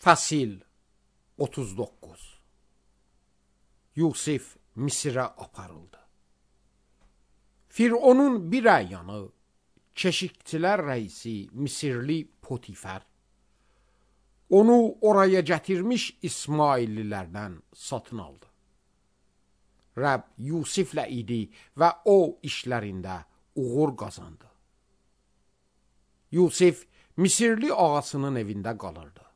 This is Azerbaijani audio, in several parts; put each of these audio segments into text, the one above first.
Fəsil 39. Yusif Misirə aparıldı. Fironun bir əyanı, keşikçilər rəisi Misirli Potifər, onu oraya gətirmiş İsmaillilərdən satın aldı. Rəbb Yusiflə idi və o işlərində uğur qazandı. Yusif Misirli ağasının evində qalırdı.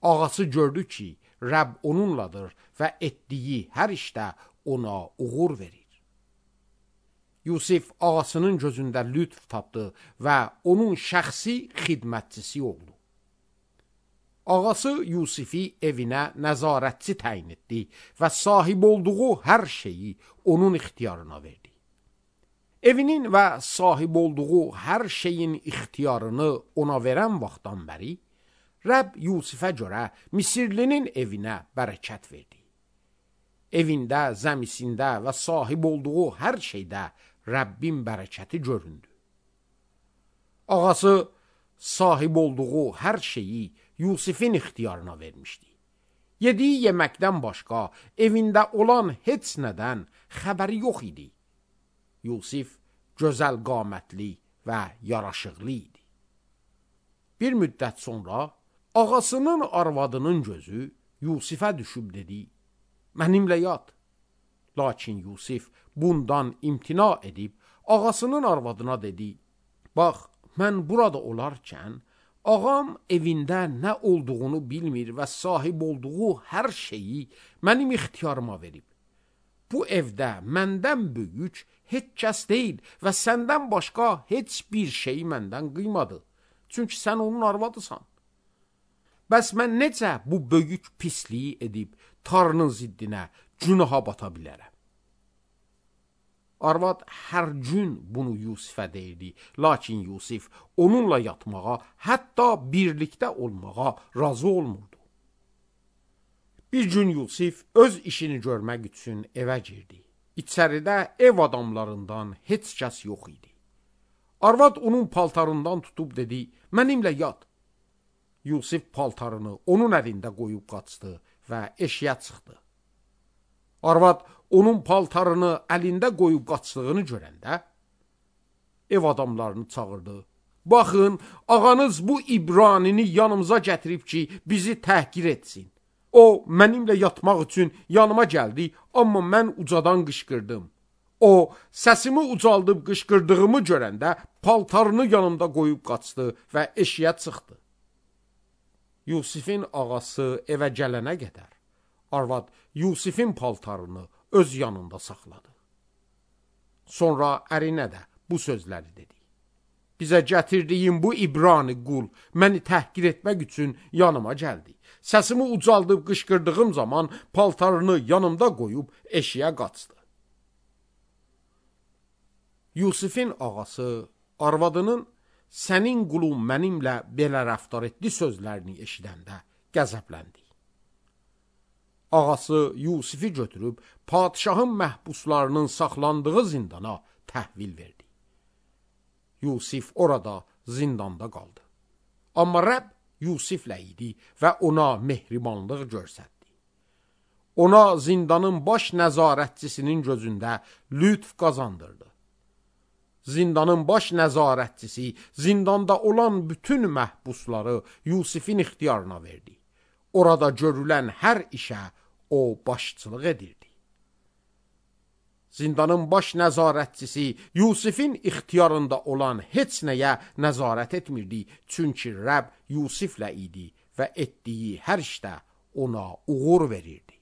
Ağası gördü ki, Rəbb onunladır və etdiyi hər işdə ona uğur verir. Yusif ağasının gözündə lütf tapdı və onun şəxsi xidmətçisi oldu. Ağası Yusifi evinə nəzarətçi təyin etdi və sahib olduğu hər şeyi onun ixtiyarına verdi. Evinin və sahib olduğu hər şeyin ixtiyarını ona verən vaxtdan bəri, Rəbb Yusifə görə Misirlinin evinə bərəkət verdi. Evində, zəmisində və sahib olduğu hər şeydə Rəbbin bərəkəti göründü. Ağası sahib olduğu hər şeyi Yusifin ixtiyarına vermişdi. Yediyi yeməkdən başqa evində olan heç nədən xəbəri yox idi. Yusif gözəl qamətli və yaraşıqlı idi. Bir müddət sonra ağasının arvadının gözü Yusifə düşüb dedi, mənimlə yat. Lakin Yusif bundan imtina edib ağasının arvadına dedi, bax, mən burada olarkən ağam evində nə olduğunu bilmir və sahib olduğu hər şeyi mənim ixtiyarıma verib. Bu evdə məndən böyük heç kəs deyil və səndən başqa heç bir şey məndən qıymadı. Çünki sən onun arvadısan. Bəs mən necə bu böyük pisliyi edib Tanrının ziddinə günaha bata bilərəm? Arvad hər gün bunu Yusifə deyirdi, lakin Yusif onunla yatmağa, hətta birlikdə olmağa razı olmurdu. Bir gün Yusif öz işini görmək üçün evə girdi. İçəridə ev adamlarından heç kəs yox idi. Arvad onun paltarından tutub dedi, mənimlə yat. Yusif paltarını onun əlində qoyub qaçdı və eşiyə çıxdı. Arvad onun paltarını əlində qoyub qaçdığını görəndə ev adamlarını çağırdı. Baxın, ağanız bu İbranini yanımıza gətirib ki, bizi təhqir etsin. O, mənimlə yatmaq üçün yanıma gəldi, amma mən ucadan qışqırdım. O, səsimi ucaldıb qışqırdığımı görəndə paltarını yanımda qoyub qaçdı və eşiyə çıxdı. Yusifin ağası evə gələnə qədər arvad Yusifin paltarını öz yanında saxladı. Sonra ərinə də bu sözləri dedi. Bizə gətirdiyim bu İbrani qul məni təhqir etmək üçün yanıma gəldi. Səsimi ucaldıb qışqırdığım zaman paltarını yanımda qoyub eşiyə qaçdı. Yusifin ağası arvadının sənin qulun mənimlə belə rəftar etdi sözlərini eşidəndə qəzəbləndi. Ağası Yusifi götürüb padişahın məhbuslarının saxlandığı zindana təhvil verdi. Yusif orada zindanda qaldı. Amma Rəbb Yusiflə idi və ona mehribanlıq göstərdi. Ona zindanın baş nəzarətçisinin gözündə lütf qazandırdı. Zindanın baş nəzarətçisi zindanda olan bütün məhbusları Yusifin ixtiyarına verdi. Orada görülən hər işə o başçılıq edirdi. Zindanın baş nəzarətçisi Yusifin ixtiyarında olan heç nəyə nəzarət etmirdi, çünki Rəbb Yusiflə idi və etdiyi hər işdə ona uğur verirdi.